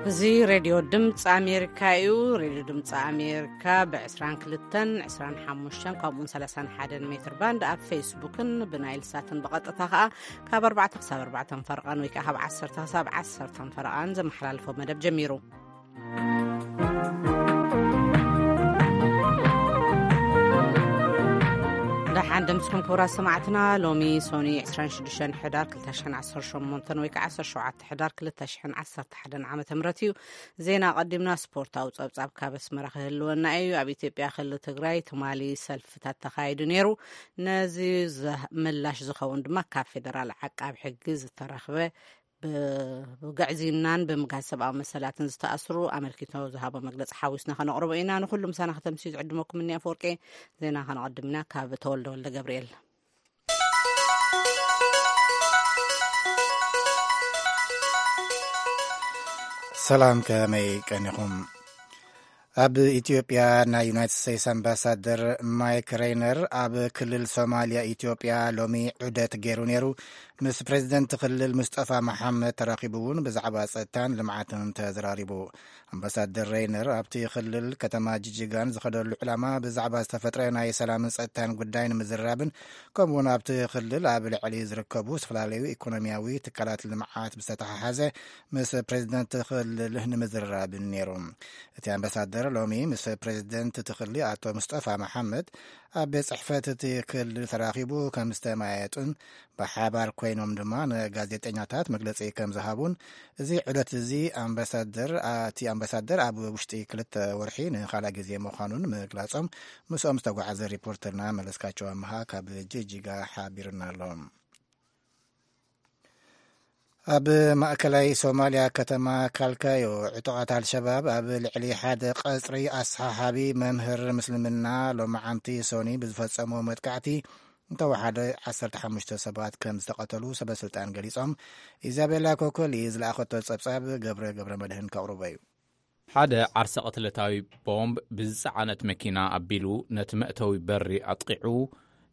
እዚ ሬድዮ ድምፂ ኣሜሪካ እዩ። ሬድዮ ድምፂ ኣሜሪካ ብ22፣ 25፣ ከምኡውን 31 ሜትር ባንድ ኣብ ፌስቡክን ብናይል ሳትን ብቐጥታ ከዓ ካብ ኣርባዕተ ክሳብ ኣርባዕተ ፈረቓን ወይ ከዓ ካብ ዓሰርተ ክሳብ ዓሰርተ ፈረቓን ዘመሓላልፎ መደብ ጀሚሩ። ደሓን ደምስኩም ክቡራት ሰማዕትና፣ ሎሚ ሶኒ 26 ሕዳር 2018 ወይ ከዓ 17 ሕዳር 2011 ዓመተ ምህረት እዩ። ዜና ቀዲምና ስፖርታዊ ጸብጻብ ካብ ኣስመራ ክህልወና እዩ። ኣብ ኢትዮጵያ ክልል ትግራይ ትማሊ ሰልፍታት ተኻይዱ ነይሩ። ነዚ ዘህ-፣ ምላሽ ዝኸውን ድማ ካብ ፌደራል ዓቃብ ሕጊ ዝተረኽበ ብ-፣ ብግዕዝይናን ብምግሃስ ሰብኣዊ መሰላትን ዝተኣስሩ ኣመልኪቶ ዝሃቦ መግለጺ ሓዊስና ከነቕርቦ ኢና። ንኹሉ ምሳና ከተምስዩ ዝዕድመኩም እኒኣ። ኣፈወርቂ ዜና ከነቐድም ኢና ካብ ተወልደ ወልደ ገብርኤል። ሰላም፣ ከመይ ቀኒኹም? ኣብ ኢትዮጵያ ናይ ዩናይትድ ስቴትስ ኣምባሳደር ማይክ ሬይነር ኣብ ክልል ሶማልያ ኢትዮጵያ ሎሚ ዑደት ገይሩ ነይሩ። ምስ ፕሬዚደንት ክልል ሙስጠፋ መሓመድ ተራኺቡ እውን ብዛዕባ ጸጥታን ልምዓትን ተዘራሪቡ። ኣምባሳደር ሬይነር ኣብቲ ክልል ከተማ ጅጅጋን ዝኸደሉ ዕላማ ብዛዕባ ዝተፈጥረ ናይ ሰላምን ጸጥታን ጉዳይ ንምዝራብን ከምኡውን ኣብቲ ክልል ኣብ ልዕሊ ዝርከቡ ዝተፈላለዩ ኢኮኖሚያዊ ትካላት ልምዓት ብዝተተሓሓዘ ምስ ፕሬዚደንት ክልል ንምዝራብን ነይሩ። እቲ ኣምባሳደር ሎሚ ምስ ፕሬዚደንት እቲ ክልል ኣቶ ሙስጠፋ መሓመድ ኣብ ቤት ጽሕፈት እቲ ክልል ተራኺቡ ከም ዝተማየጡን ብሓባር ኮይኖም ድማ ንጋዜጠኛታት መግለጺ ከም ዝሃቡን፣ እዚ ዑደት እዚ ኣምባሳደር፣ እቲ ኣምባሳደር ኣብ ውሽጢ ክልተ ወርሒ ንኻልኣይ ግዜ ምዃኑን ምግላጾም፣ ምስኦም ዝተጓዓዘ ሪፖርተርና መለስካቸው ኣምሃ ካብ ጅጅጋ ሓቢርና ኣሎ። ኣብ ማእከላይ ሶማልያ ከተማ ካልካዮ ዕጡቓት ኣልሸባብ ኣብ ልዕሊ ሓደ ቀጽሪ ኣሰሓሓቢ መምህር ምስልምና ሎማዓንቲ ሶኒ ብዝፈጸሞ መጥቃዕቲ እንተወሓደ ዓሰርተ ሓሙሽተ ሰባት ከም ዝተቐተሉ ሰበስልጣን ገሊጾም። ኢዛቤላ ኮኮሊ ዝለኣኸቶ ጸብጻብ ገብረ ገብረ መድህን ከቕርቦ እዩ። ሓደ ዓርሰ ቅትለታዊ ቦምብ ብዝጸዓነት መኪና ኣቢሉ ነቲ መእተዊ በሪ ኣጥቒዑ፣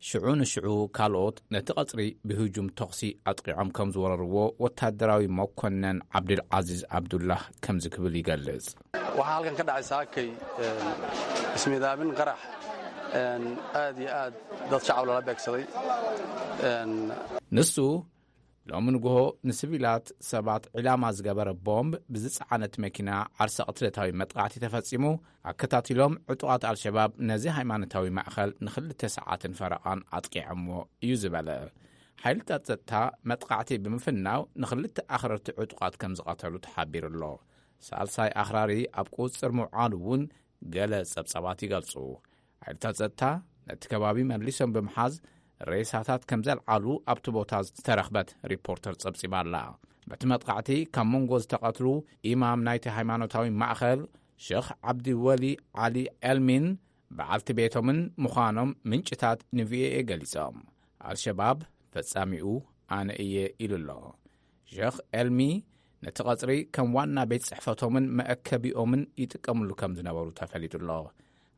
ሽዑ ንሽዑ ካልኦት ነቲ ቀጽሪ ብህጁም ተኹሲ ኣጥቒዖም ከም ዝወረርዎ ወታደራዊ መኮነን ዓብዱል ዓዚዝ ዓብዱላህ ከምዚ ክብል ይገልጽ። Waxaa halkan ka dhacay saakay, een, ismiidaamin qarax, een, aad iyo aad dad shacab lala beegsaday. Een, ንሱ ሎሚ ንግሆ ንስቪላት ሰባት ዒላማ ዝገበረ ቦምብ ብዝጸዓነት መኪና ዓርሰ ቅትለታዊ መጥቃዕቲ ተፈጺሙ። ኣከታቲሎም ዕጡቓት ኣልሸባብ ነዚ ሃይማኖታዊ ማእኸል ንኽልተ ሰዓትን ፈረቓን ኣጥቂዖምዎ እዩ ዝበለ። ሓይልታት ጸጥታ መጥቃዕቲ ብምፍናው ንኽልተ ኣኽረርቲ ዕጡቓት ከም ዝቐተሉ ተሓቢሩ ኣሎ። ሳልሳይ ኣኽራሪ ኣብ ቁጽጽር ምውዓሉ እውን ገለ ጸብጻባት ይገልጹ። ሓይልታት ጸጥታ ነቲ ከባቢ መሊሶም ብምሓዝ ሬሳታት ከም ዘልዓሉ ኣብቲ ቦታ ዝተረኽበት ሪፖርተር ጸብጺባ ኣላ። በቲ መጥቃዕቲ ካብ መንጎ ዝተቐትሉ ኢማም ናይቲ ሃይማኖታዊ ማእኸል ሸኽ ዓብዲ ወሊ ዓሊ ኤልሚን በዓልቲ ቤቶምን ምዃኖም ምንጭታት ንቪኦኤ ገሊጾም። ኣልሸባብ ፈጻሚኡ ኣነ እየ ኢሉ ኣሎ። ሸኽ ኤልሚ ነቲ ቀጽሪ ከም ዋና ቤት ጽሕፈቶምን መእከቢኦምን ይጥቀምሉ ከም ዝነበሩ ተፈሊጡ ኣሎ።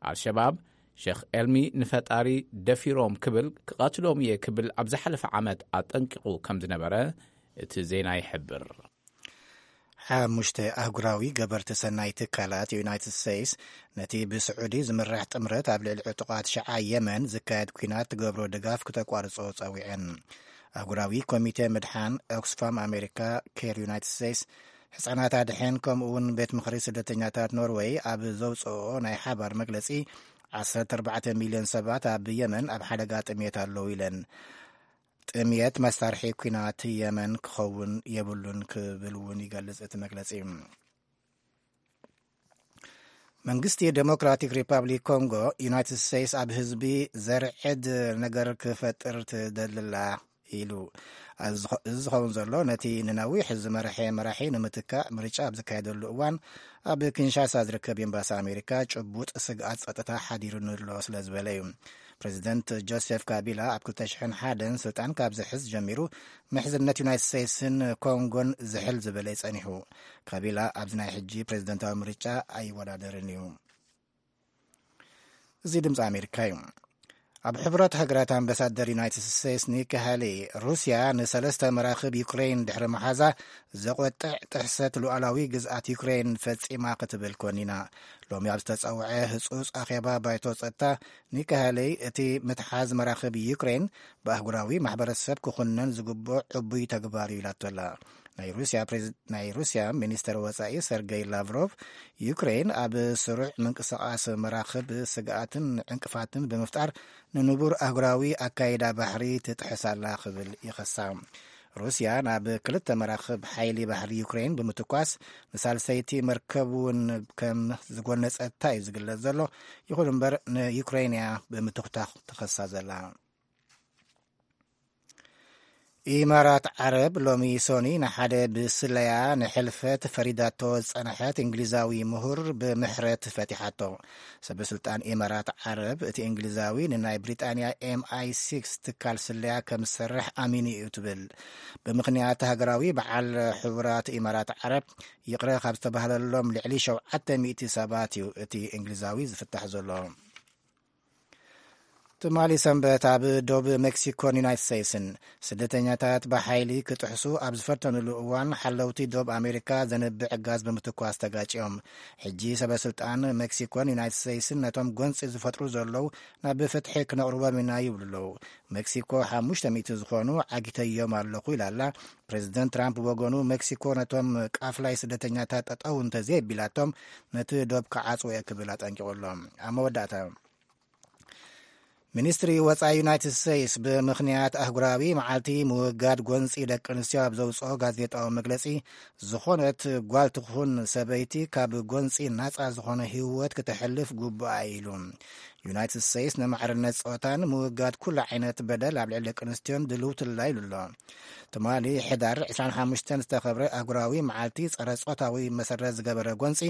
ኣልሸባብ ሸኽ ኤልሚ ንፈጣሪ ደፊሮም ክብል ክቐትሎም እየ ክብል ኣብ ዝሓለፈ ዓመት ኣጠንቂቑ ከም ዝነበረ እቲ ዜና ይሕብር። ሓሙሽተ ኣህጉራዊ ገበርቲ ሰናይ ትካላት ዩናይትድ ስቴትስ ነቲ ብስዑዲ ዝምራሕ ጥምረት ኣብ ልዕሊ ዕጡቓት ሽዓ የመን ዝካየድ ኲናት ትገብሮ ድጋፍ ክተቋርጾ ጸዊዐን። ኣህጉራዊ ኮሚቴ ምድሓን፣ ኦክስፋም ኣሜሪካ፣ ኬር ዩናይትድ ስቴትስ፣ ሕጻናት ኣድሕን ከምኡ እውን ቤት ምኽሪ ስደተኛታት ኖርወይ ኣብ ዘውጽኦ ናይ ሓባር መግለጺ ዓሰርተ ኣርባዕተ ሚልዮን ሰባት ኣብ የመን ኣብ ሓደጋ ጥምየት ኣለዉ ኢለን። ጥምየት መሳርሒ ኲናት የመን ክኸውን የብሉን ክብል እውን ይገልጽ እቲ መግለጺ። መንግስቲ ዴሞክራቲክ ሪፐብሊክ ኮንጎ፣ ዩናይትድ ስቴትስ ኣብ ህዝቢ ዘርዕድ ነገር ክፈጥር ትደልላ ኢሉ። እዚ ዝኸ-፣ እዚ ዝኸውን ዘሎ ነቲ ንነዊሕ ዝመርሐ መራሒ ንምትካእ ምርጫ ኣብ ዝካየደሉ እዋን ኣብ ኪንሻሳ ዝርከብ ኤምባሲ ኣሜሪካ ጭቡጥ ስግኣት ጸጥታ ሓዲሩኒ ኣሎ ስለ ዝበለ እዩ። ፕሬዚደንት ጆሴፍ ካቢላ ኣብ ክልተ ሽሕን ሓደን ስልጣን ካብ ዝሕዝ ጀሚሩ ምሕዝነት ዩናይትድ ስቴትስን ኮንጎን ዝሕል ዝበለ እዩ ጸኒሑ። ካቢላ ኣብዚ ናይ ሕጂ ፕሬዚደንታዊ ምርጫ ኣይወዳደርን እዩ። እዚ ድምፂ ኣሜሪካ እዩ። ኣብ ሕቡራት ሃገራት ኣምባሳደር ዩናይትድ ስቴትስ ኒኪ ሃሊ፣ ሩስያ ንሰለስተ መራኽብ ዩክሬን ድሕሪ መሓዛ ዘቖጥዕ ጥሕሰት ሉዓላዊ ግዝኣት ዩክሬን ፈጺማ ክትብል ኮኒና። ሎሚ ኣብ ዝተጸውዐ ህጹጽ ኣኼባ ባይቶ ጸጥታ፣ ኒኪ ሃሊ እቲ ምትሓዝ መራኽብ ዩክሬን ብኣህጉራዊ ማሕበረሰብ ክኹነን ዝግብኦ ዕቡይ ተግባር እዩ ኢላቶ ኣላ። ናይ ሩስያ ፕሬዝ-፣ ናይ ሩስያ ሚኒስተር ወጻኢ ሰርገይ ላቭሮቭ፣ ዩክሬን ኣብ ስሩዕ ምንቅስቓስ መራኽብ ስግኣትን ዕንቅፋትን ብምፍጣር ንንቡር ኣህጉራዊ ኣካይዳ ባሕሪ ትጥሕስ ኣላ ክብል ይኸሳ። ሩስያ ናብ ክልተ መራኽብ ሓይሊ ባሕሪ ዩክሬን ብምትኳስ ንሳልሰይቲ መርከብ እውን ከም ዝጎነጸታ እዩ ዝግለጽ ዘሎ። ይኹን እምበር ንዩክሬን እያ ብምትኹታኽ ትኸሳ ዘላ። ኢማራት ዓረብ ሎሚ ሶኒ ንሓደ ብስለያ ንሕልፈት ፈሪዳቶ ዝጸንሐት እንግሊዛዊ ምሁር ብምሕረት ፈቲሓቶ። ሰበ ስልጣን ኢማራት ዓረብ፣ እቲ እንግሊዛዊ ንናይ ብሪጣንያ ኤም ኣይ ሲክስ ትካል ስለያ ከም ዝሰርሕ ኣሚኑ እዩ ትብል። ብምኽንያት ሃገራዊ በዓል ሕቡራት ኢማራት ዓረብ ይቕረ ካብ ዝተባህለሎም ልዕሊ ሸውዓተ ሚእቲ ሰባት እዩ እቲ እንግሊዛዊ ዝፍታሕ ዘሎ። ትማሊ ሰንበት ኣብ ዶብ ሜክሲኮን ዩናይትድ ስቴትስን ስደተኛታት ብሓይሊ ክጥሕሱ ኣብ ዝፈተኑሉ እዋን፣ ሓለውቲ ዶብ ኣሜሪካ ዘንብዕ ጋዝ ብምትኳስ ተጋጭዮም። ሕጂ ሰበ ስልጣን ሜክሲኮን ዩናይትድ ስቴትስን ነቶም ጎንፂ ዝፈጥሩ ዘለዉ ናብ ፍትሒ ክነቕርቦም ኢና ይብሉ ኣለዉ። ሜክሲኮ ሓሙሽተ ሚእቲ ዝኾኑ ዓጊተዮም ኣለኹ ኢላ ኣላ። ፕሬዚደንት ትራምፕ ብወገኑ፣ ሜክሲኮ ነቶም ቃፍላይ ስደተኛታት ጠጠው እንተዘየቢላቶም ነቲ ዶብ ክዓጽዎ እየ ክብል ኣጠንቂቑ ኣሎ። ኣብ መወዳእታ፣ ሚኒስትሪ ወጻኢ ዩናይትድ ስቴትስ ብምኽንያት ኣህጉራዊ መዓልቲ ምውጋድ ጎንጺ ደቂ ኣንስትዮ ኣብ ዘውጽኦ ጋዜጣዊ መግለጺ፣ ዝኾነት ጓል ትኹን ሰበይቲ ካብ ጎንጺ ናጻ ዝኾነ ህይወት ክተሕልፍ ግቡኣ ኢሉ። ዩናይትድ ስቴትስ ንማዕርነት ጾታን ምውጋድ ኩሉ ዓይነት በደል ኣብ ልዕሊ ደቂ ኣንስትዮን ድልውቲ ኣላ ኢሉ ኣሎ። ትማሊ ሕዳር ዕስራን ሓሙሽተን ዝተኸብረ ኣህጉራዊ መዓልቲ ጸረ ጾታዊ መሰረት ዝገበረ ጎንጺ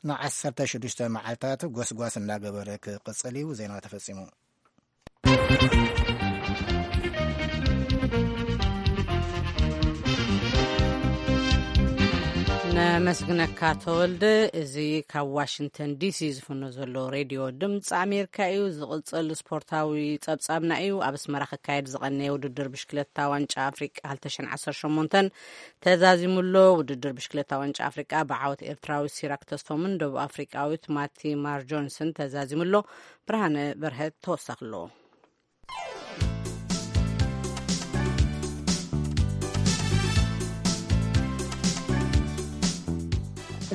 ንዓሰርተ ሽዱሽተ መዓልታት ጎስጓስ እናገበረ ክቕጽል እዩ። ዜና ተፈጺሙ። ነመስግነካ ተወልደ። እዚ ካብ ዋሽንግተን ዲሲ ዝፍኖ ዘሎ ሬድዮ ድምፂ ኣሜሪካ እዩ። ዝቕፅል ስፖርታዊ ፀብፃብና እዩ። ኣብ ኣስመራ ክካየድ ዝቐነየ ውድድር ብሽክለታ ዋንጫ ኣፍሪቃ ክልተ ሽሕን ዓሰርተ ሸሞንተን ተዛዚሙ ኣሎ። ውድድር ብሽክለታ ዋንጫ ኣፍሪቃ ብዓወት ኤርትራዊ ሲራክ ተስፎምን ደቡብ ኣፍሪቃዊት ማቲ ማር ጆንስን ተዛዚሙ ኣሎ። ብርሃነ በርሀ ተወሳኺ ኣለዎ።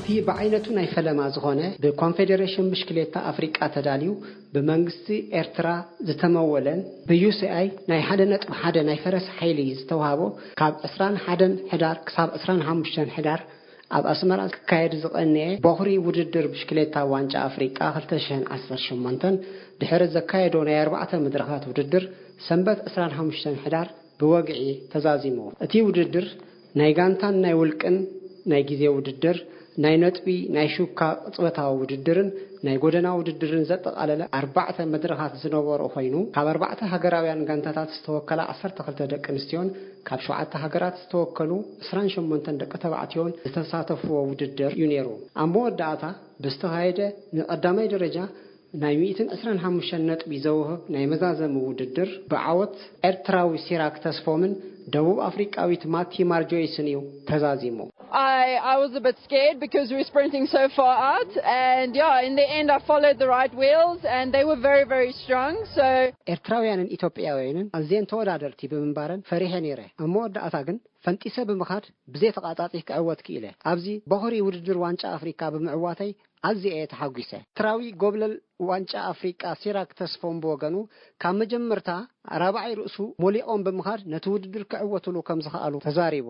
እቲ ብዓይነቱ ናይ ፈለማ ዝኾነ ብኮንፌዴሬሽን ብሽክሌታ ኣፍሪቃ ተዳልዩ ብመንግስቲ ኤርትራ ዝተመወለን ብዩ ሲ ኣይ ናይ ሓደ ነጥቢ ሓደ ናይ ፈረስ ሓይሊ ዝተውሃቦ ካብ ዕስራን ሓደን ሕዳር ክሳብ ዕስራን ሓሙሽተን ሕዳር ኣብ ኣስመራ ክካየድ ዝቐነየ ቦኽሪ ውድድር ብሽክሌታ ዋንጫ ኣፍሪቃ ክልተ ሽሕን ዓሰርተ ሸሞንተን ድሕሪ ዘካየዶ ናይ ኣርባዕተ መድረኻት ውድድር ሰንበት ዕስራን ሓሙሽተን ሕዳር ብወግዒ ተዛዚሙ። እቲ ውድድር ናይ ጋንታን ናይ ውልቅን ናይ ግዜ ውድድር፣ ናይ ነጥቢ፣ ናይ ሹካ ቅጽበታዊ ውድድርን ናይ ጎደና ውድድርን ዘጠቓለለ ኣርባዕተ መድረኻት ዝነበሮ ኮይኑ፣ ካብ ኣርባዕተ ሃገራውያን ጋንታታት ዝተወከላ ዓሰርተ ክልተ ደቂ ኣንስትዮን ካብ ሸውዓተ ሃገራት ዝተወከሉ ዕስራን ሸሞንተን ደቂ ተባዕትዮን ዝተሳተፍዎ ውድድር እዩ ነይሩ። ኣብ መወዳእታ ብዝተኻየደ ንቐዳማይ ደረጃ ናይ ሚእትን ዕስራን ሓሙሽተን ነጥቢ ዘውህብ ናይ መዛዘሚ ውድድር ብዓወት ኤርትራዊ ሲራክ ተስፎምን ደቡብ ኣፍሪቃዊት ማቲ ማርጆይስን እዩ ተዛዚሙ። I, I was a bit scared because we were sprinting so far out, and yeah, in the end, I followed the right wheels, and they were very, very strong. So, ኤርትራውያንን ኢትዮጵያውያንን ኣዝየን ተወዳደርቲ ብምንባረን ፈሪሐ ነይረ። ኣብ መወዳእታ ግን ፈንጢሰ ብምኻድ ብዘይ ተቓጻጺ ክዕወት ክኢለ። ኣብዚ ቦኽሪ ውድድር ዋንጫ ኣፍሪካ ብምዕዋተይ ኣዝየ እየ ተሓጒሰ። ኤርትራዊ ጎብለል ዋንጫ ኣፍሪቃ ሲራክ ተስፎም ብወገኑ፣ ካብ መጀመርታ ራብዓይ ርእሱ ሞሊቖም ብምኻድ ነቲ ውድድር ክዕወትሉ ከም ዝኸኣሉ ተዛሪቡ።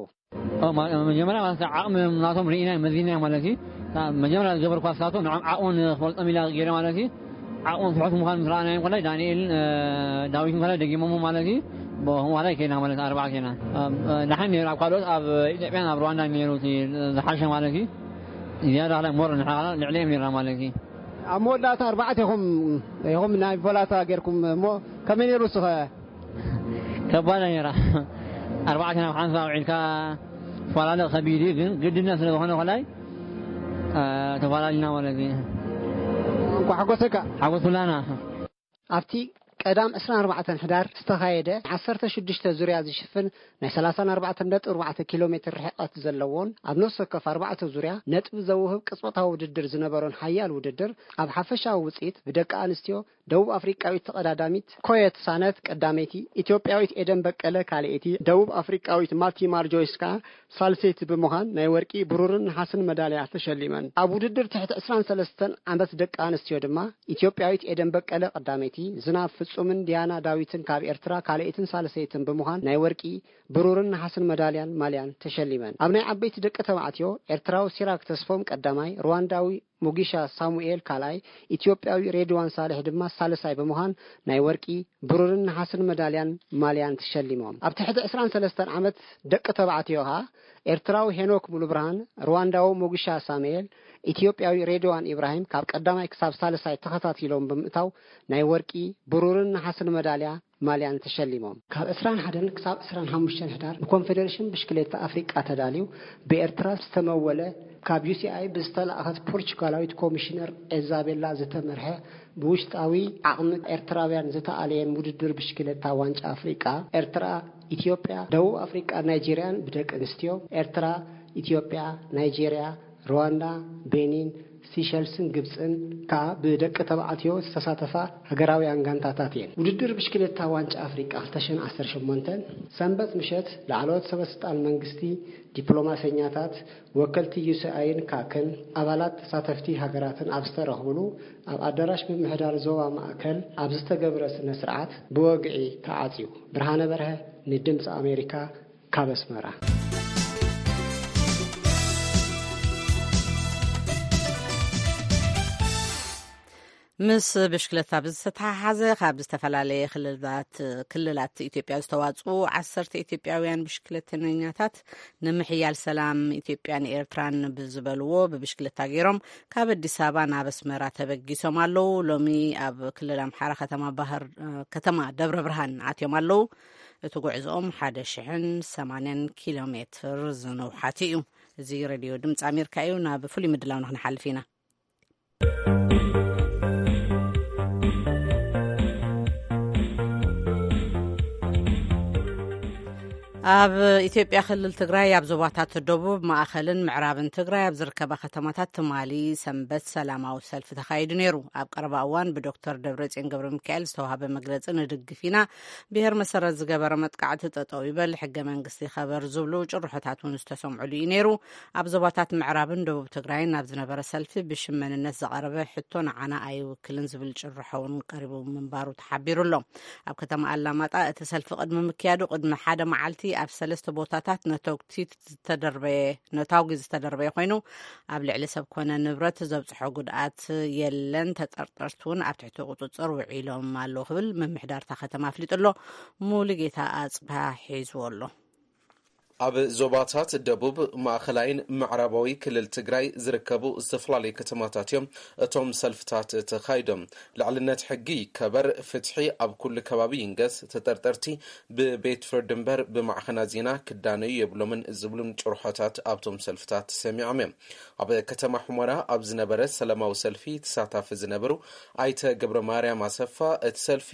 ኦ፣ ማ-፣ መጀመርያ ማለት ዓቕሚ ናቶም ርኢና መዚና ማለት እዩ። መጀመርያ ዝገበርኳ ስካቶ ንዖም ዓቕሞም ክፈልጦም ኢላ ገይረ ማለት እዩ። ዓቕሞም ትሑት ምዃኑ ምስ ረኣናዮም ኮላይ ዳንኤልን፣ እ፣ ዳዊትን ኮላይ ደጊሞም ማለት እዩ። ብኸምኡ ኮላይ ከይና ማለት ኣርባዓ ከይና። እ፣ እ፣ ደሓን ነይሩ። ኣብ ካልኦት ኣብ ኢትዮጵያን ኣብ ሩዋንዳን ነይሩ እቲ ዝሓሸ ማለት እዩ። ዝያዳ ኮላይ ሞር ንሕና ልዕሊኦም ነይርና ማለት እዩ። ኣብ መወዳእታ ኣርባዕተ ኢኹም፣ ኢኹም ናይ ቮላታ ጌርኩም እሞ ከመይ ነይሩ እስኸ? ከባድ ነይራ። ኣርባዕተ ናብ ሓንሳብ ውዒልካ ተፈላለ ከቢድ እዩ፣ ግን ግድነት ስለ ዝኾነ ኮላይ፣ እ፣ ተፈላለና ማለት እዩ። እንኳዕ ሓጎሰካ። ሓጎስ ኩላና። ኣብቲ ቀዳም ዕስራን ኣርባዕተን ሕዳር ዝተኻየደ ዓሰርተ ሽዱሽተ ዙርያ ዝሽፍን ናይ ሰላሳን ኣርባዕተን ነጥቢ ኣርባዕተ ኪሎ ሜትር ርሕቐት ዘለዎን ኣብ ነፍሲ ወከፍ ኣርባዕተ ዙርያ ነጥቢ ዘውህብ ቅጽበታዊ ውድድር ዝነበሮን ሓያል ውድድር፣ ኣብ ሓፈሻዊ ውጽኢት ብደቂ ኣንስትዮ ደቡብ ኣፍሪቃዊት ተቐዳዳሚት ኮየት ሳነት ቀዳመይቲ፣ ኢትዮጵያዊት ኤደን በቀለ ካልኣይቲ፣ ደቡብ ኣፍሪቃዊት ማቲ ማርጆይስ ከኣ ሳልሰይቲ ብምዃን ናይ ወርቂ፣ ብሩርን ነሓስን መዳልያ ተሸሊመን። ኣብ ውድድር ትሕቲ ዕስራን ሰለስተን ዓመት ደቂ ኣንስትዮ ድማ ኢትዮጵያዊት ኤደን በቀለ ቀዳመይቲ፣ ዝናብ ፍጹምን ዲያና ዳዊትን ካብ ኤርትራ ካልኣይትን ሳልሰይትን ብምዃን ናይ ወርቂ፣ ብሩርን ነሓስን መዳልያን ማልያን ተሸሊመን። ኣብ ናይ ዓበይቲ ደቂ ተባዕትዮ ኤርትራዊ ሲራክ ተስፎም ቀዳማይ፣ ሩዋንዳዊ ሙጊሻ ሳሙኤል ካልኣይ፣ ኢትዮጵያዊ ሬድዋን ሳልሕ ድማ ሳልሳይ ብምዃን ናይ ወርቂ፣ ብሩርን ነሓስን መዳልያን ማልያን ተሸሊሞም። ኣብ ትሕቲ ዕስራን ሰለስተን ዓመት ደቂ ተባዕትዮ ከኣ ኤርትራዊ ሄኖክ ሙሉብርሃን፣ ሩዋንዳዊ ሙጊሻ ሳሙኤል፣ ኢትዮጵያዊ ሬድዋን ኢብራሂም ካብ ቀዳማይ ክሳብ ሳልሳይ ተኸታቲሎም ብምእታው ናይ ወርቂ፣ ብሩርን ነሓስን መዳልያ ማልያን ተሸሊሞም። ካብ ዕስራን ሓደን ክሳብ ዕስራን ሓሙሽተን ሕዳር ብኮንፌደሬሽን ብሽክሌታ ኣፍሪቃ ተዳልዩ ብኤርትራ ዝተመወለ፣ ካብ ዩ ሲ ኣይ ብዝተላእኸት ፖርቹጋላዊት ኮሚሽነር ኤዛቤላ ዝተመርሐ፣ ብውሽጣዊ ዓቕሚ ኤርትራውያን ዝተኣለየን ውድድር ብሽክሌታ ዋንጫ ኣፍሪቃ፣ ኤርትራ፣ ኢትዮጵያ፣ ደቡብ ኣፍሪቃን ናይጄርያን ብደቂ ኣንስትዮ፣ ኤርትራ፣ ኢትዮጵያ፣ ናይጄርያ፣ ሩዋንዳ፣ ቤኒን፣ ሲሸልስን ግብጽን ከኣ ብደቂ ተባዕትዮ ዝተሳተፋ ሃገራውያን ጋንታታት እየን። ውድድር ብሽክሌታ ዋንጫ ኣፍሪቃ ክልተ ሽሕን ዓሰርተ ሸሞንተን ሰንበት ምሸት ላዕለዎት ሰበ ስልጣን መንግስቲ፣ ዲፕሎማሰኛታት፣ ወከልቲ ዩ ሲ ኣይን ካክን ኣባላት ተሳተፍቲ ሃገራትን ኣብ ዝተረኽብሉ ኣብ ኣዳራሽ ምምሕዳር ዞባ ማእከል ኣብ ዝተገብረ ስነ ስርዓት ብወግዒ ተዓጽዩ። ብርሃነ በርሀ ንድምፂ ኣሜሪካ ካብ ኣስመራ። ምስ ብሽክለታ ብዝተተሓሓዘ ካብ ዝተፈላለየ ክልላት ክልላት ኢትዮጵያ ዝተዋፅኡ ዓሰርተ ኢትዮጵያውያን ብሽክለተኛታት ንምሕያል ሰላም ኢትዮጵያን ኤርትራን ብዝበልዎ ብብሽክለታ ገይሮም ካብ ኣዲስ ኣበባ ናብ ኣስመራ ተበጊሶም ኣለዉ። ሎሚ ኣብ ክልል ኣምሓራ ከተማ ባህር ከተማ ደብረ ብርሃን ኣትዮም ኣለዉ። እቲ ጉዕዞኦም ሓደ ሽሕን ሰማንያን ኪሎ ሜትር ዝነውሓት እዩ። እዚ ሬድዮ ድምፂ ኣሜሪካ እዩ። ናብ ፍሉይ ምድላውና ክንሓልፍ ኢና። ኣብ ኢትዮጵያ ክልል ትግራይ ኣብ ዞባታት ደቡብ፣ ማእኸልን ምዕራብን ትግራይ ኣብ ዝርከባ ከተማታት ትማሊ ሰንበት ሰላማዊ ሰልፊ ተኻይዱ ነይሩ። ኣብ ቀረባ እዋን ብዶክተር ደብረጽዮን ገብረ ሚካኤል ዝተዋሃበ መግለጺ ንድግፍ ኢና፣ ብሄር መሰረት ዝገበረ መጥቃዕቲ ጠጠው ይበል፣ ሕገ መንግስቲ ይኸበር ዝብሉ ጭርሖታት እውን ዝተሰምዑሉ እዩ ነይሩ። ኣብ ዞባታት ምዕራብን ደቡብ ትግራይን ኣብ ዝነበረ ሰልፊ ብሽም መንነት ዝቐረበ ሕቶ ንዓና ኣይውክልን ዝብል ጭርሖ እውን ቀሪቡ ምንባሩ ተሓቢሩ ኣሎ። ኣብ ከተማ ኣላማጣ እቲ ሰልፊ ቅድሚ ምክያዱ ቅድሚ ሓደ መዓልቲ ኣብ ሰለስተ ቦታታት ነተጉቲ ዝተደርበየ ነታጉ ዝተደርበየ ኮይኑ፣ ኣብ ልዕሊ ሰብ ኮነ ንብረት ዘብፅሖ ጉድኣት የለን። ተጠርጠርቲ እውን ኣብ ትሕቲ ቁፅፅር ውዒሎም ኣለዉ ክብል ምምሕዳር እታ ከተማ ኣፍሊጡ ኣሎ። ሙሉጌታ ኣፅብሃ ሒዝዎ ኣሎ። ኣብ ዞባታት ደቡብ፣ ማእኸላይን ምዕራባዊ ክልል ትግራይ ዝርከቡ ዝተፈላለዩ ከተማታት እዮም እቶም ሰልፍታት ተኻይዶም። ልዕልነት ሕጊ ይከበር፣ ፍትሒ ኣብ ኩሉ ከባቢ ይንገስ፣ ተጠርጠርቲ ብቤት ፍርዲ እምበር ብማዕኸናት ዜና ክዳነዩ የብሎምን ዝብሉን ጭርሖታት ኣብቶም ሰልፍታት ተሰሚዖም እዮም። ኣብ ከተማ ሑመራ ኣብ ዝነበረ ሰላማዊ ሰልፊ ተሳታፊ ዝነበሩ ኣይተ ገብረ ማርያም ኣሰፋ፣ እቲ ሰልፊ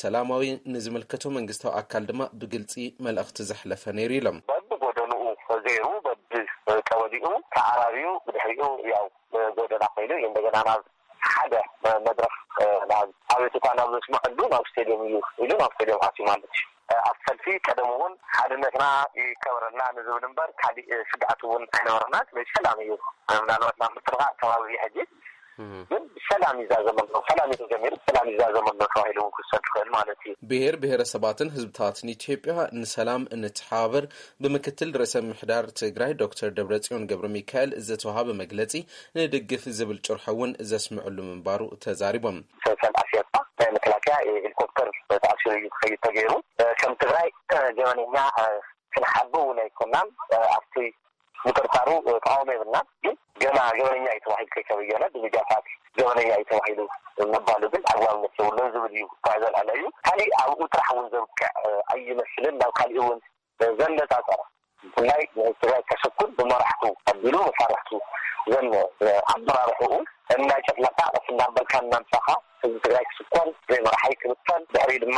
ሰላማዊ፣ ንዝምልከቶ መንግስታዊ ኣካል ድማ ብግልፂ መልእኽቲ ዘሕለፈ ነይሩ ኢሎም። በብጎደንኡ ገይሩ፣ በብቀበሊኡ ተኣራርዩ፣ ብድሕሪኡ ያው ጎደና ኮይኑ እዩ እንደገና ናብ ሓደ መድረኽ፣ ናብ ኣቤቱታ ናብ ዘስምዐሉ ናብ ስቴድዮም እዩ ኢሉ ናብ ስቴድዮም ኣትዩ ማለት እዩ። ኣብ ሰልፊ ቀደም እውን ሓድነትና ይከበረልና ንዝብል እምበር ካሊእ ስግኣት እውን ኣይነበረና። ስለዚ ሰላም እዩ። ምናልባት ናብ ምትርኻእ ከባቢ እዩ ሕጂ፣ ግን ሰላም ይዛዘመ ኣሎ፣ ሰላም እዩ ተጀሚሩ፣ ሰላም ይዛዘመ ኣሎ ተባሂሉ እውን ክሰድ ይኽእል ማለት እዩ። ብሄር ብሄረሰባትን ህዝብታትን ኢትዮጵያ ንሰላም እንተሓባበር ብምክትል ርእሰ ምምሕዳር ትግራይ ዶክተር ደብረጽዮን ገብረ ሚካኤል ዝተዋሃበ መግለጺ ንድግፍ ዝብል ጭርሖ እውን ዘስምዕሉ ምንባሩ ተዛሪቦም። ሰልፍ ኣስያትካ ናይ መከላከያ ሄሊኮፕተር ተኣሲሩ እዩ ክኸይድ ተገይሩ። ከም ትግራይ ገበነኛ ክንሓቢ እውን ኣይኮናን። ኣብቲ ምጥርጣሩ ተቃውሞ የብልናን። ግን ገና ገበነኛ እዩ ተባሂሉ ከይተበየነ ብሚድያታት ገበነኛ እዩ ተባሂሉ ምባሉ ግን ኣግባብነት የብሉን ዝብል እዩ። እኳ ዘልዓለ እዩ። ካሊእ ኣብኡ ጥራሕ እውን ዘብቅዕ ኣይመስልን። ናብ ካሊእ እውን ዘነጻጸረ ብፍላይ ንትግራይ ከሰኩን ብመራሕቱ ኣቢሉ መሳርሕቱ ዘን ኣመራርሕኡ እንዳጨፍለካ ቀስ እንዳበልካ እናምጻኻ ህዝቢ ትግራይ ክስኮን፣ ዘይመርሓይ ክብተን፣ ድሕሪ ድማ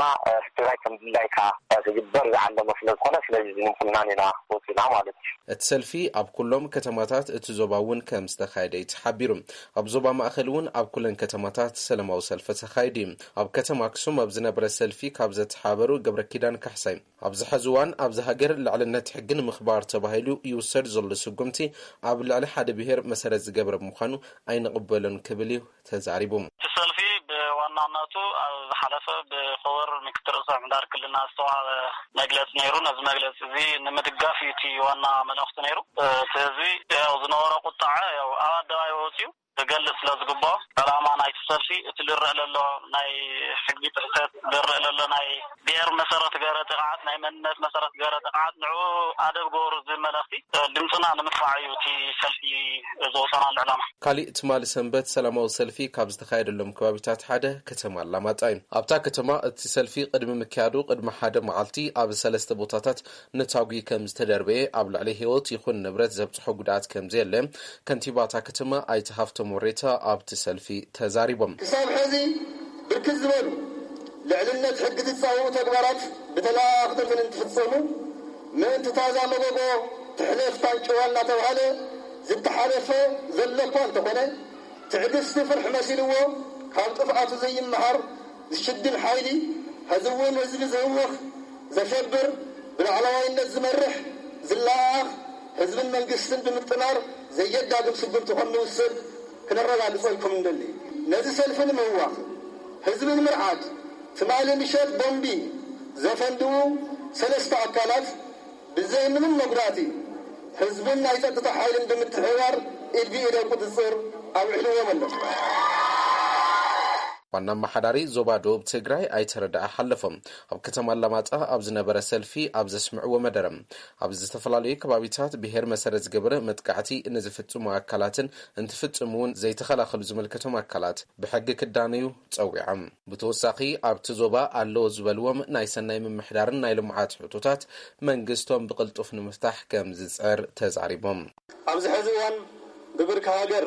ትግራይ ከም ድላይካ ክግበር ዝዓለመ ስለ ዝኾነ፣ ስለዚ ዝምንኩናን ኢና ወፂና ማለት እዩ። እቲ ሰልፊ ኣብ ኩሎም ከተማታት እቲ ዞባ እውን ከም ዝተኻየደ እዩ ተሓቢሩ። ኣብ ዞባ ማእኸል እውን ኣብ ኩለን ከተማታት ሰላማዊ ሰልፊ ተኻይዱ እዩ። ኣብ ከተማ ኣክሱም ኣብ ዝነበረ ሰልፊ ካብ ዘተሓበሩ ገብረ ኪዳን ካሕሳይ፣ ኣብዚ ሐዚ እዋን ኣብዚ ሃገር ልዕልነት ሕጊ ንምኽባር ተባሂሉ ይውሰድ ዘሎ ስጉምቲ ኣብ ልዕሊ ሓደ ብሔር መሰረት ዝገበረ ብምዃኑ ኣይንቕበሎን ክብል እዩ ተዛሪቡ። እቲ ሰልፊ ብዋናነቱ ኣብ ዝሓለፈ ብክቡር ምክትል ርእሰ ምምሕዳር ክልልና ዝተዋሃበ መግለፂ ነይሩ። ነዚ መግለፂ እዚ ንምድጋፍ እዩ እቲ ዋና መልእኽቲ ነይሩ። እቲ ህዝቢ ያው ዝነበሮ ቁጣዐ ያው ኣብ ኣደባባይ ወፂኡ ክገልፅ ስለ ዝግባኦ፣ ዕላማ ናይቲ ሰልፊ እቲ ዝረአ ዘሎ ናይ ሕጊ ጥሕሰት፣ ዝረአ ዘሎ ናይ ብሔር መሰረት ገረ ጥቕዓት፣ ናይ መንነት መሰረት ገረ ጥቕዓት፣ ንዕኡ ኣደብ ገበሩ ዝብል መልእኽቲ ድምፅና ንምስማዕ እዩ እቲ ሰልፊ ዝወፀናሉ ዕላማ። ካሊእ ትማሊ ሰንበት ሰላማዊ ሰልፊ ካብ ዝተኻየደሎም ከባቢታት ሓደ ከተማ ኣላማጣ እዩ። ኣብታ ከተማ እቲ ሰልፊ ቅድሚ ምክያዱ ቅድሚ ሓደ መዓልቲ ኣብ ሰለስተ ቦታታት ነታጒ ከም ዝተደርበየ፣ ኣብ ልዕሊ ህይወት ይኹን ንብረት ዘብፅሖ ጉድኣት ከም ዘየለ ከንቲባ እታ ከተማ ኣይተ ሃፍቶም ወሬታ ኣብቲ ሰልፊ ተዛሪቦም። ክሳብ ሕዚ ብርክት ዝበሉ ልዕልነት ሕጊ ዝፃወሩ ተግባራት ብተለኣኣኽቲ እንትፍፀሙ፣ ምእንቲ ታዛ መጎጎ ትሕለፍ ታንጭዋ እናተባህለ ዝተሓለፈ ዘሎ እኳ እንተኾነ፣ ትዕግስቲ ፍርሒ መሲልዎ ካብ ጥፍኣቱ ዘይመሃር ዝሽድን ሓይሊ፣ ሕዚ እውን ህዝቢ ዝህውኽ፣ ዘሸብር፣ ብላዕለዋይነት ዝመርሕ፣ ዝለኣኣኽ፣ ህዝብን መንግስትን ብምጥማር ዘየዳግም ስጉምቲ ከም ንውስድ ክነረጋግጸልኩም እንደሊ። ነዚ ሰልፊ ንምህዋኽ፣ ህዝቢ ንምርዓድ፣ ትማሊ ምሸት ቦምቢ ዘፈንድኡ ሰለስተ ኣካላት ብዘይ ምንም መጉዳእቲ ህዝብን ናይ ጸጥታ ሓይልን ብምትሕብባር ኢድ ብኢድ ኣብ ቁጽጽር ኣውዒልዎም ኣሎ። ዋና ኣመሓዳሪ ዞባ ደቡብ ትግራይ ኣይተ ረዳኢ ሓለፎም ኣብ ከተማ ኣላማጣ ኣብ ዝነበረ ሰልፊ ኣብ ዘስምዕዎ መደረ፣ ኣብ ዝተፈላለዩ ከባቢታት ብሄር መሰረት ዝገበረ መጥቃዕቲ ንዝፍጽሙ ኣካላትን እንትፍጽሙ እውን ዘይተኸላኸሉ ዝምልከቶም ኣካላት ብሕጊ ክዳነዩ ጸዊዖም። ብተወሳኺ ኣብቲ ዞባ ኣለዎ ዝበልዎም ናይ ሰናይ ምምሕዳርን ናይ ልምዓት ሕቶታት መንግስቶም ብቕልጡፍ ንምፍታሕ ከም ዝጽዕር ተዛሪቦም። ኣብዚ ሕዚ እዋን ብብርኪ ሃገር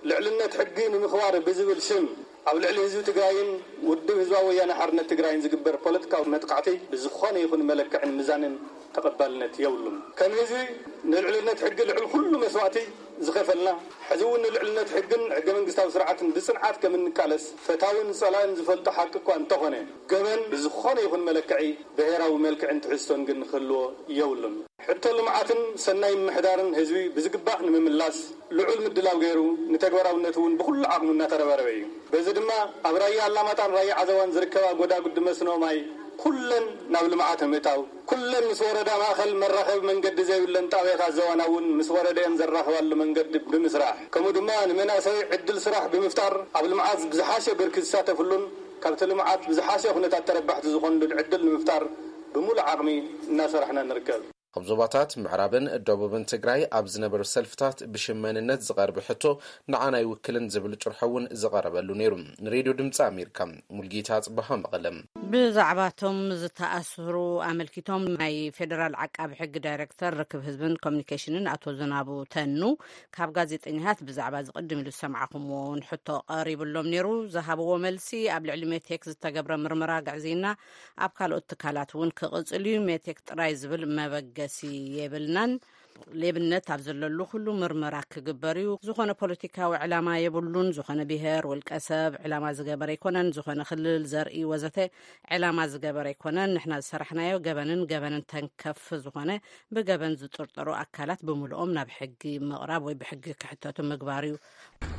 ልዕልነት ሕጊ ንምኽባር ብዝብል ሽም ኣብ ልዕሊ ህዝቢ ትግራይን ውድብ ህዝባዊ ወያነ ሓርነት ትግራይን ዝግበር ፖለቲካዊ መጥቃዕቲ ብዝኾነ ይኹን መለክዕን ምዛንን ተቐባልነት የብሉን። ከም ህዝቢ ንልዕልነት ሕጊ ልዕሊ ኩሉ መስዋእቲ ዝኸፈልና፣ ሕዚ እውን ንልዕልነት ሕግን ሕገ መንግስታዊ ስርዓትን ብጽንዓት ከም እንቃለስ ፈታውን ጸላእን ዝፈልጦ ሓቂ እኳ እንተኾነ፣ ገበን ብዝኾነ ይኹን መለክዒ ብሄራዊ መልክዕን ትሕዝቶን ግን ክህልዎ የብሉን። ሕቶ ልምዓትን ሰናይ ምምሕዳርን ህዝቢ ብዝግባእ ንምምላስ ልዑል ምድላው ገይሩ፣ ንተግባራውነቱ እውን ብኹሉ ዓቕሙ እናተረባረበ እዩ። በዚ ድማ ኣብ ራያ ኣላማጣን ራያ ዓዘዋን ዝርከባ ጎዳጉዲ መስኖ ማይ ኩለን ናብ ልምዓት ንምእታው፣ ኩለን ምስ ወረዳ ማእኸል መራኸቢ መንገዲ ዘይብለን ጣብያታት ዘዋና እውን ምስ ወረደኦም ዘራኽባሉ መንገዲ ብምስራሕ፣ ከምኡ ድማ ንመናእሰይ ዕድል ስራሕ ብምፍጣር ኣብ ልምዓት ብዝሓሸ ብርኪ ዝሳተፍሉን ካብቲ ልምዓት ብዝሓሸ ኩነታት ተረባሕቲ ዝኾኑሉን ዕድል ንምፍጣር ብምሉእ ዓቕሚ እናሰራሕና ንርከብ። ኣብ ዞባታት ምዕራብን ደቡብን ትግራይ ኣብ ዝነበሩ ሰልፍታት ብሽም መንነት ዝቐርብ ሕቶ ንዓና ኣይውክልን ዝብል ጭርሖ እውን ዝቐረበሉ ነይሩ። ንሬድዮ ድምፂ ኣሜሪካ፣ ሙልጌታ ኣፅበሃ፣ መቐለ። ብዛዕባቶም ዝተኣስሩ ኣመልኪቶም ናይ ፌደራል ዓቃቢ ሕጊ ዳይሬክተር ርክብ ህዝብን ኮሚኒኬሽንን ኣቶ ዝናቡ ተኑ ካብ ጋዜጠኛታት ብዛዕባ ዝቕድም ኢሉ ዝሰማዕኹምዎ እውን ሕቶ ቀሪብሎም ነይሩ። ዝሃብዎ መልሲ፣ ኣብ ልዕሊ ሜቴክ ዝተገብረ ምርመራ ግዕዝይና ኣብ ካልኦት ትካላት እውን ክቕፅል እዩ። ሜቴክ ጥራይ ዝብል መበገሲ የብልናን። ሌብነት ኣብ ዘለሉ ኩሉ ምርመራ ክግበር እዩ። ዝኾነ ፖለቲካዊ ዕላማ የብሉን። ዝኾነ ብሄር፣ ውልቀ ሰብ ዕላማ ዝገበረ ኣይኮነን። ዝኾነ ክልል፣ ዘርኢ ወዘተ ዕላማ ዝገበረ ኣይኮነን። ንሕና ዝሰራሕናዮ ገበንን ገበንን ተንከፍ ዝኾነ ብገበን ዝጥርጠሩ ኣካላት ብምልኦም ናብ ሕጊ ምቕራብ ወይ ብሕጊ ክሕተቱ ምግባር እዩ።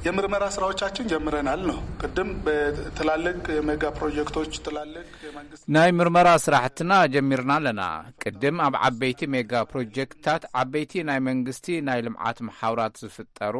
የምርመራ ስራዎቻችን ጀምረናል ነው። ቅድም በትላልቅ የሜጋ ፕሮጀክቶች፣ ትላልቅ የመንግስት ናይ ምርመራ ስራሕትና ጀሚርና ኣለና። ቅድም ኣብ ዓበይቲ ሜጋ ፕሮጀክትታት ዓበይቲ ናይ መንግስቲ ናይ ልምዓት መሓውራት ዝፍጠሩ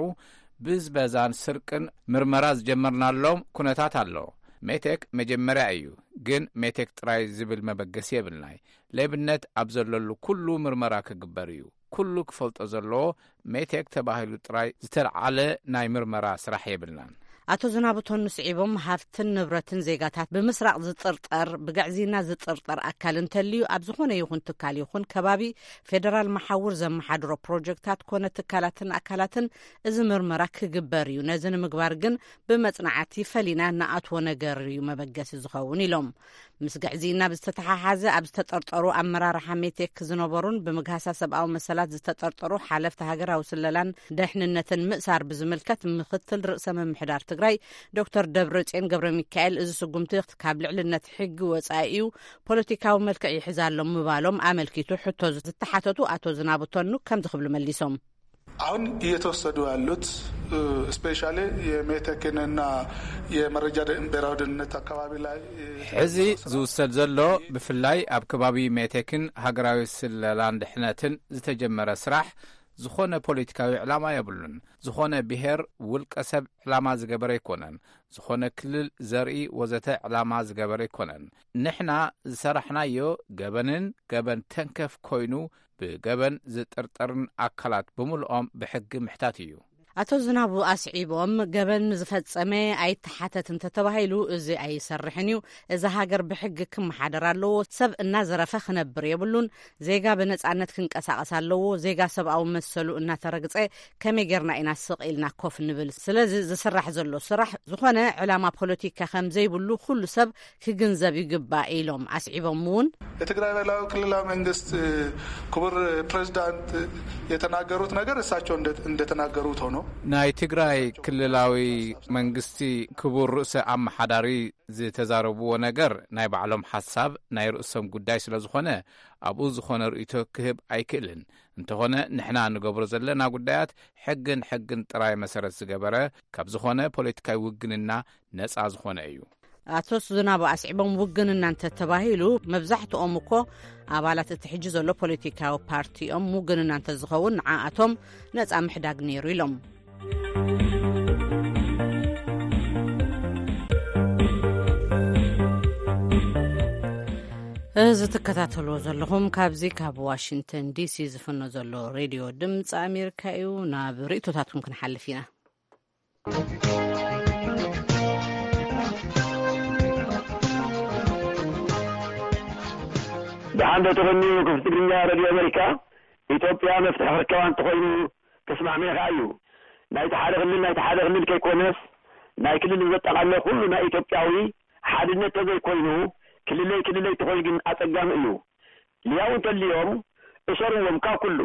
ብዝበዛን ስርቅን ምርመራ ዝጀመርናሎም ኩነታት ኣሎ። ሜቴክ መጀመርያ እዩ፣ ግን ሜቴክ ጥራይ ዝብል መበገሲ የብልናይ። ሌብነት ኣብ ዘለሉ ኩሉ ምርመራ ክግበር እዩ። ኩሉ ክፈልጦ ዘለዎ ሜቴክ ተባሂሉ ጥራይ ዝተልዓለ ናይ ምርመራ ስራሕ የብልናን። ኣቶ ዝናቡ ቶኑ ስዒቦም፣ ሃፍትን ንብረትን ዜጋታት ብምስራቕ ዝጥርጠር፣ ብግዕዝይና ዝጥርጠር ኣካል እንተልዩ፣ ኣብ ዝኾነ ይኹን ትካል ይኹን ከባቢ፣ ፌደራል መሓውር ዘመሓድሮ ፕሮጀክታት ኮነ ትካላትን ኣካላትን እዚ ምርመራ ክግበር እዩ። ነዚ ንምግባር ግን ብመጽናዕቲ ፈሊና ንኣትዎ ነገር እዩ መበገሲ ዝኸውን ኢሎም። ምስ ግዕዝይና ብዝተተሓሓዘ፣ ኣብ ዝተጠርጠሩ ኣመራርሓ ሜቴክ ዝነበሩን ብምግሃሳ ሰብኣዊ መሰላት ዝተጠርጠሩ ሓለፍቲ ሃገራዊ ስለላን ደሕንነትን ምእሳር ብዝምልከት፣ ምክትል ርእሰ ምምሕዳር ትግራይ ዶክተር ደብረጽዮን ገብረ ሚካኤል፣ እዚ ስጉምቲ ካብ ልዕልነት ሕጊ ወጻኢ እዩ፣ ፖለቲካዊ መልክዕ ይሕዝ ኣሎ ምባሎም ኣመልኪቱ ሕቶ ዝተሓተቱ ኣቶ ዝናቡ ቶኑ ከምዚ ክብሉ መሊሶም። አሁን እየተወሰዱ ያሉት ስፔሻሊ የሜቴክንና የመረጃ ብሔራዊ ደህንነት አካባቢ ላይ ሕዚ ዝውሰድ ዘሎ፣ ብፍላይ ኣብ ከባቢ ሜቴክን ሃገራዊ ስለላን ድሕነትን ዝተጀመረ ስራሕ ዝኾነ ፖለቲካዊ ዕላማ የብሉን። ዝኾነ ብሔር ውልቀ ሰብ ዕላማ ዝገበረ ኣይኮነን። ዝኾነ ክልል፣ ዘርኢ ወዘተ ዕላማ ዝገበረ ኣይኮነን። ንሕና ዝሰራሕናዮ ገበንን ገበን ተንከፍ ኮይኑ ብገበን ዝጥርጠርን ኣካላት ብምልኦም ብሕጊ ምሕታት እዩ። ኣቶ ዝናቡ ኣስዒቦም፣ ገበን ዝፈጸመ ኣይተሓተት እንተተባሂሉ፣ እዚ ኣይሰርሕን እዩ። እዛ ሃገር ብሕጊ ክመሓደር ኣለዎ። ሰብ እናዘረፈ ክነብር የብሉን። ዜጋ ብነጻነት ክንቀሳቐስ ኣለዎ። ዜጋ ሰብኣዊ መሰሉ እናተረግጸ ከመይ ጌርና ኢና ስቕ ኢልና ኮፍ ንብል? ስለዚ ዝስራሕ ዘሎ ስራሕ ዝኾነ ዕላማ ፖለቲካ ከም ዘይብሉ ኩሉ ሰብ ክግንዘብ ይግባእ ኢሎም። ኣስዒቦም እውን፣ የትግራይ ብሔራዊ ክልላዊ መንግስት ክቡር ፕሬዚዳንት የተናገሩት ነገር እሳቸው እንደተናገሩት ሆኖ፣ ናይ ትግራይ ክልላዊ መንግስቲ ክቡር ርእሰ ኣመሓዳሪ ዝተዛረብዎ ነገር ናይ ባዕሎም ሓሳብ፣ ናይ ርእሶም ጉዳይ ስለ ዝኾነ፣ ኣብኡ ዝኾነ ርእይቶ ክህብ ኣይክእልን። እንተኾነ ንሕና ንገብሮ ዘለና ጉዳያት ሕግን ሕግን ጥራይ መሰረት ዝገበረ፣ ካብ ዝኾነ ፖለቲካዊ ውግንና ነጻ ዝኾነ እዩ። ኣቶ ዝናቡ ኣስዒቦም፣ ውግንና እንተተባሂሉ፣ መብዛሕትኦም እኮ ኣባላት እቲ ሕጂ ዘሎ ፖለቲካዊ ፓርቲ እዮም። ውግንና እንተዝኸውን ንዓኣቶም ነጻ ምሕዳግ ነይሩ ኢሎም። እዚ ትከታተልዎ ዘለኹም ካብዚ ካብ ዋሽንግተን ዲሲ ዝፍኖ ዘሎ ሬድዮ ድምፂ ኣሜሪካ እዩ። ናብ ርእይቶታትኩም ክንሓልፍ ኢና። ደሓን ዶ ተቐንዩ ክፍቲ ትግርኛ ሬድዮ ኣሜሪካ? ኢትዮጵያ መፍትሒ ክርከባ እንተኾይኑ ተስማዕሚዑ ከኣ እዩ። ናይቲ ሓደ ክልል ናይቲ ሓደ ክልል ከይኮነስ ናይ ክልል ዘጠቓለለ ኩሉ ናይ ኢትዮጵያዊ ሓድነት ተዘይኮይኑ ክልለይ ክልለይ ተኾይኑ ግን ኣጸጋሚ እዩ። ልያው እንተልዮም እሰርዎም ካብ ኩሉ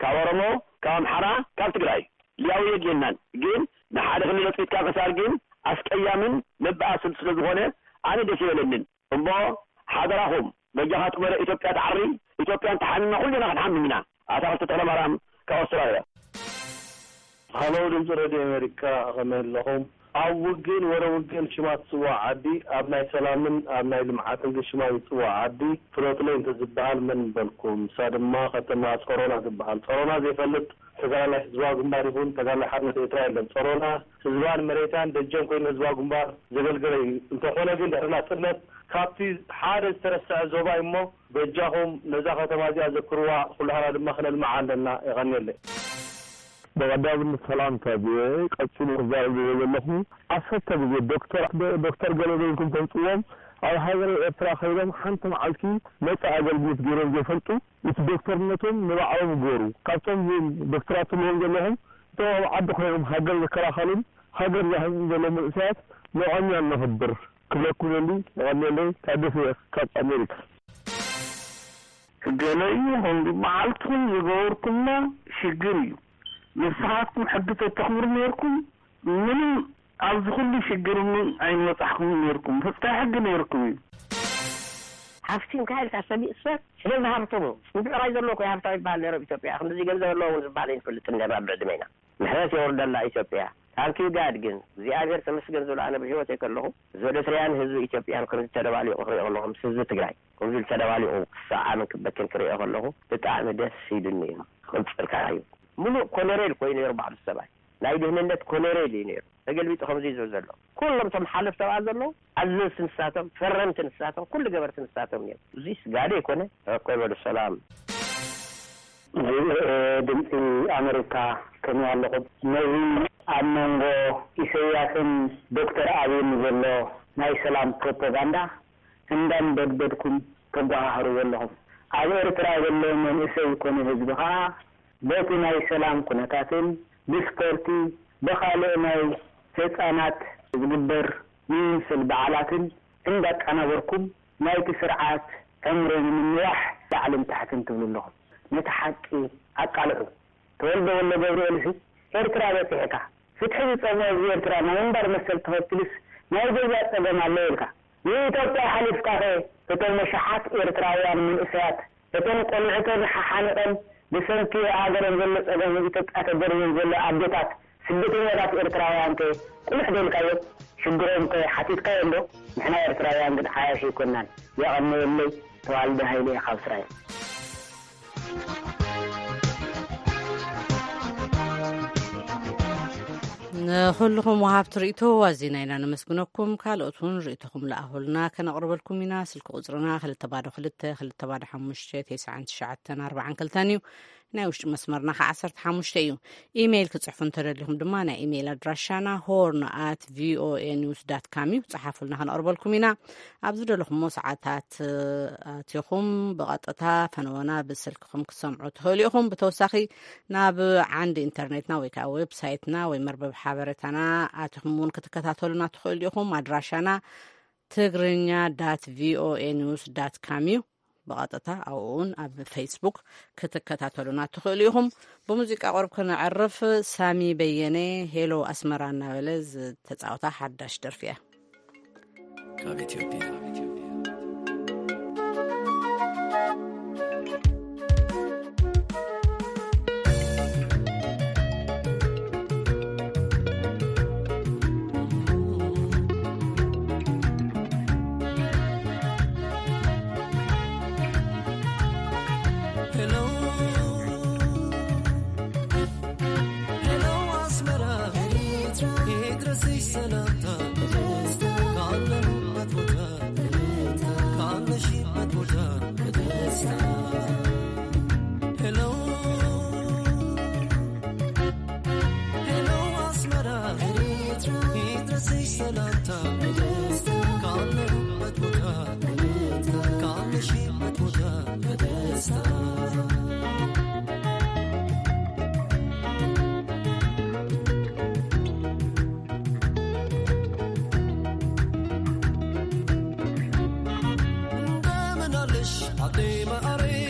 ካብ ኦሮሞ፣ ካብ ኣምሓራ፣ ካብ ትግራይ ልያው የድልየናን። ግን ንሓደ ክልል ኣጽቂጥካ ምእሳር ግን ኣስቀያምን መበኣስን ስለ ዝኾነ ኣነ ደስ ይበለንን። እሞ ሓደራኹም በጃኻ ጥመረ ኢትዮጵያ ትዓሪ። ኢትዮጵያ እንተሓሚማ ኩልና ክንሓምም ኢና። ኣታ ክልተ ተኽለማርያም ካብ ኣውስትራልያ። ሃሎ ድምፂ ሬድዮ ኣሜሪካ ከመይ ኣለኹም? ኣብ ውግእን ወረ ውግእን ሽማ ትፅዋዕ ዓዲ ኣብ ናይ ሰላምን ኣብ ናይ ልምዓትን ግን ሽማ ዝፅዋዕ ዓዲ ፍለጡለይ እንተዝበሃል መን ምበልኩም? ንሳ ድማ ከተማ ፀሮና ትበሃል። ፀሮና ዘይፈልጥ ተጋዳላይ ህዝባዊ ግንባር ይኹን ተጋዳላይ ሓርነት ኤርትራ የለን። ጸሮና ህዝባን መሬታን ደጀን ኮይኑ ህዝባዊ ግንባር ዘገልገለ እዩ። እንተኾነ ግን ድሕሪ ናጽነት ካብቲ ሓደ ዝተረስዐ ዞባ እዩ እሞ በጃኹም ነዛ ከተማ እዚኣ ዘክርዋ፣ ኩላህና ድማ ክነልምዓ ኣለና። የቐንየለይ። ብቐዳምነት ሰላምታ ቪኦኤ ቀጺሉ ክዛረብ ዝብል ዘለኹ ዓሰርተ ግዜ ዶክተር ዶክተር ገለ በልኩም ተምጽዎም ኣብ ሃገረ ኤርትራ ከይዶም ሓንቲ መዓልቲ ነጻ ኣገልግሎት ገይሮም ዘይፈልጡ እቲ ዶክተርነቶም ንባዕሎም ይገሩ። ካብቶም ዶክተራት ትብልዎም ዘለኹም እቶም ኣብ ዓዲ ኮይኖም ሃገር ዝከላኸሉን ሃገር ዘህንን ዘለዉ መንእሰያት ንዖም ኢና ነኽብር ክብለኩም ደሊ። የቐንየለይ። ታደሰ እየ ካብ ኣሜሪካ። ገለ እዩ ኹም መዓልትኹም ዝገበርኩሞ ሽግር እዩ። ንስኻትኩም ሕጊ ተተኽብሩ ነይርኩም ምንም ኣብዚ ኩሉ ሽግር እውን ኣይመጻሕኩምን ነይርኩም። ፍጻይ ሕጊ ነይርኩም እዩ። ሃፍቲምካ ኢልካ ሰሚእሰ ስለ ዝሃብተሙ። ብዕራይ ዘሎ እኮ ሃብታም ይበሃል ነይሩ ኣብ ኢትዮጵያ። ክንድዚ ገንዘብ ኣለዎ እውን ዝበሃል ኣይንፈልጥን ነርና ብዕድመና። ምሕረት የውርደላ ኢትዮጵያ። ታንኪዩ ጋድ ግን እግዚኣብሔር ተመስገን ዝብሎ ኣነ ብህይወተይ ከለኹ እዚ ወደ ትርያን ህዝቢ ኢትዮጵያን ከምዚ ተደባሊቑ ክሪኦ ከለኹ ምስ ህዝቢ ትግራይ ከምዚ ኢሉ ተደባሊቑ ክሰዓምን ክበክን ክሪኦ ከለኹ ብጣዕሚ ደስ ኢሉኒ እዩ። ክቕጽል ከኣ እዩ። ምሉእ ኮሎኔል ኮይኑ ነይሩ ባዕሉ ሰብኣይ። ናይ ድህንነት ኮሎኔል እዩ ነይሩ። ተገልቢጡ ከምዚ እዩ ዝብል ዘሎ። ኩሎም እቶም ሓለፍቲ ኣብኣ ዘለዉ ኣዘዝቲ ንሳቶም፣ ፈረምቲ ንሳቶም፣ ኩሉ ገበርቲ ንሳቶም እዮም። እዚስ ጋዶ ኣይኮነ? እኮ ይበሉ ሰላም። ድምፂ ኣሜሪካ ከመይ ኣለኹም? ነዚ ኣብ መንጎ ኢሰያስን ዶክተር ኣብይን ዘሎ ናይ ሰላም ፕሮፓጋንዳ እንዳንበድበድኩም ተጓሃህርዎ ኣለኹም። ኣብ ኤርትራ ዘሎ መንእሰይ ኮነ ህዝቢ ከኣ በቲ ናይ ሰላም ኩነታትን ብስፖርቲ ብኻልእ ናይ ህጻናት ዝግበር ዝምስል በዓላትን እንዳቀናበርኩም ናይቲ ስርዓት ዕምሪ ንምንዋሕ ላዕልን ታሕትን ትብሉ ኣለኹም። ነቲ ሓቂ ኣቃልዑ። ተወልደ ወልደ ገብርኤልሲ ኤርትራ በጺሕካ፣ ፍትሒ ዝጸምኦ ህዝቢ ኤርትራ ናይ ምንባር መሰል ተኸትልስ ናይ ገዛ ጸገም ኣሎ ኢልካ ንኢትዮጵያ ሓሊፍካኸ እቶም መሻሓት ኤርትራውያን መንእሰያት እቶም ቆልዕተን ሓሓኒቐን ብሰንኪ ሃገረን ዘሎ ጸገም ኢትዮጵያ ተደርብዮም ዘሎ ኣዴታት ስደተኛታት ኤርትራውያን ከ ቁልሕ ደልካዮም? ሽግሮም ከ ሓቲትካዮም ዶ? ንሕና ኤርትራውያን ግን ዓያሽ ኣይኮናን። የቐንየለይ። ተዋልደ ሃይለ ካብ እስራኤል። ንኹልኹም ወሃብቲ ርእይቶ ኣዚና ኢና ነመስግነኩም። ካልኦት እውን ርእይቶኹም ለኣኹልና፣ ከነቕርበልኩም ኢና። ስልኪ ቁጽርና ክልተ ባዶ ክልተ፣ ክልተ ባዶ ሓሙሽተ፣ ተስዓን ትሽዓተን ኣርባዓን ክልተን እዩ። ናይ ውሽጢ መስመርና ከ ዓሰርተ ሓሙሽተ እዩ። ኢሜይል ክጽሕፉ እንተደሊኹም ድማ ናይ ኢሜይል ኣድራሻና ሆርን ኣት ቪኦኤ ኒውስ ዳት ካም እዩ። ጸሓፉልና፣ ከነቕርበልኩም ኢና። ኣብ ዝደለኹሞ ሰዓታት ኣቲኹም ብቐጥታ ፈነወና ብስልክኹም ክትሰምዑ ትኽእሉ ኢኹም። ብተወሳኺ ናብ ዓንዲ ኢንተርኔትና ወይ ከዓ ዌብሳይትና ወይ መርበብ ሓበሬታና ኣቲኹም እውን ክትከታተሉና ትኽእሉ ኢኹም። ኣድራሻና ትግርኛ ዳት ቪኦኤ ኒውስ ዳት ካም እዩ። ብቐጥታ ኣብኡ እውን ኣብ ፌስቡክ ክትከታተሉና ትኽእሉ ኢኹም። ብሙዚቃ ቁሩብ ክነዕርፍ፣ ሳሚ በየነ ሄሎ ኣስመራ እናበለ ዝተፃወታ ሓዳሽ ደርፊ እያ። ካብ ኢትዮጵያ። Hello, hello, ኣስመራ፣ ይድረስሽ ሰላምታ፣ ካለሁበት ቦታ፣ ካለሽበት ቦታ፣ በደስታ። Hello, hello፣ ኣስመራ፣ ይድረስሽ ሰላምታ፣ ካለሁበት ቦታ፣ ካለሽበት ቦታ፣ በደስታ። እንደምን አለሽ አደይ ማዕረይ፣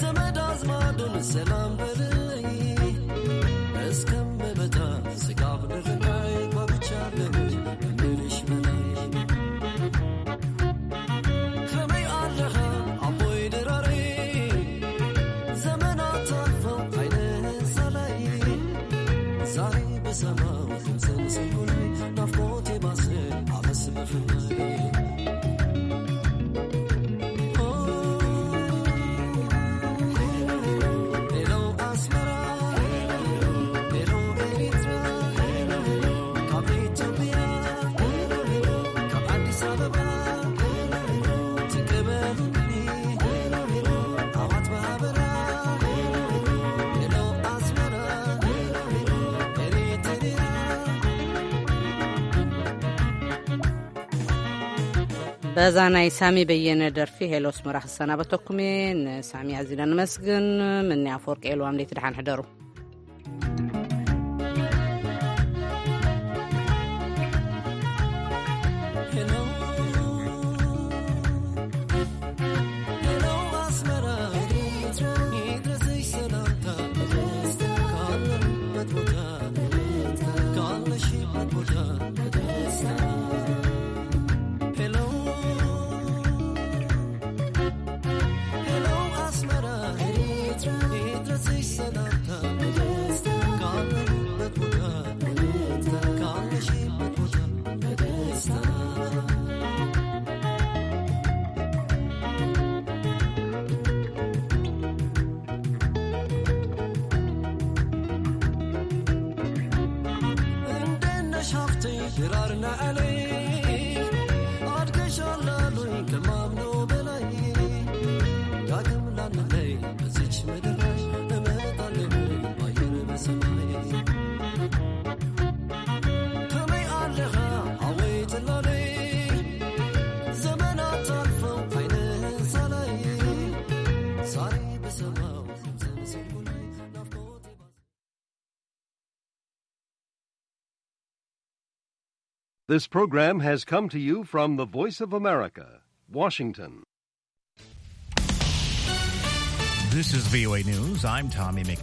ዘመድ አዝማዱን ሰላም በልይ። እስከምመጣ ስጋብ ንኽናይ ጓጉቻለሁ ከምልሽ በላይ። ከመይ ኣለኻ ኣቦይ ድራረይ፣ ዘመናት ኣልፈው ዓይንህን ሳላይ። ዛሬ ብሰማው ድምፅን ስንኩላይ፣ ናፍቆቴ ባሰ ኣበስ ብፍላይ። ኦ፣ ሄሎ ኣስመራ፣ ሄሎ ኤሪትራ፣ ካብ ኢትዮጵያ፣ ካብ ኣዲስ ኣበባ፣ ትቀበሉኒ፣ ኣሕዋት ብሃበራ፣ ሄሎ ኣስመራ፣ ኤሪትራ። በዛ ናይ ሳሚ በየነ ደርፊ ሄሎ ኣስመራ ክሰናበተኩም እየ። ንሳሚ ኣዚና ንመስግን። ምኒ ኣፈወርቂ ኤልዋም፣ ለይቲ ደሓን ሕደሩ። ሄሎ፣ ሄሎ ኣስመራ፣ ይድረስሽ ሰላምታ፣ ካለሁበት ቦታ፣ ካለሽበት ቦታ፣ ሄሎ፣ ሄሎ ኣስመራ፣ ይድረስሽ ሰላምታ፣ This program has come to you from the Voice of America, Washington. This is V O A News. I'm Tommy McNeil.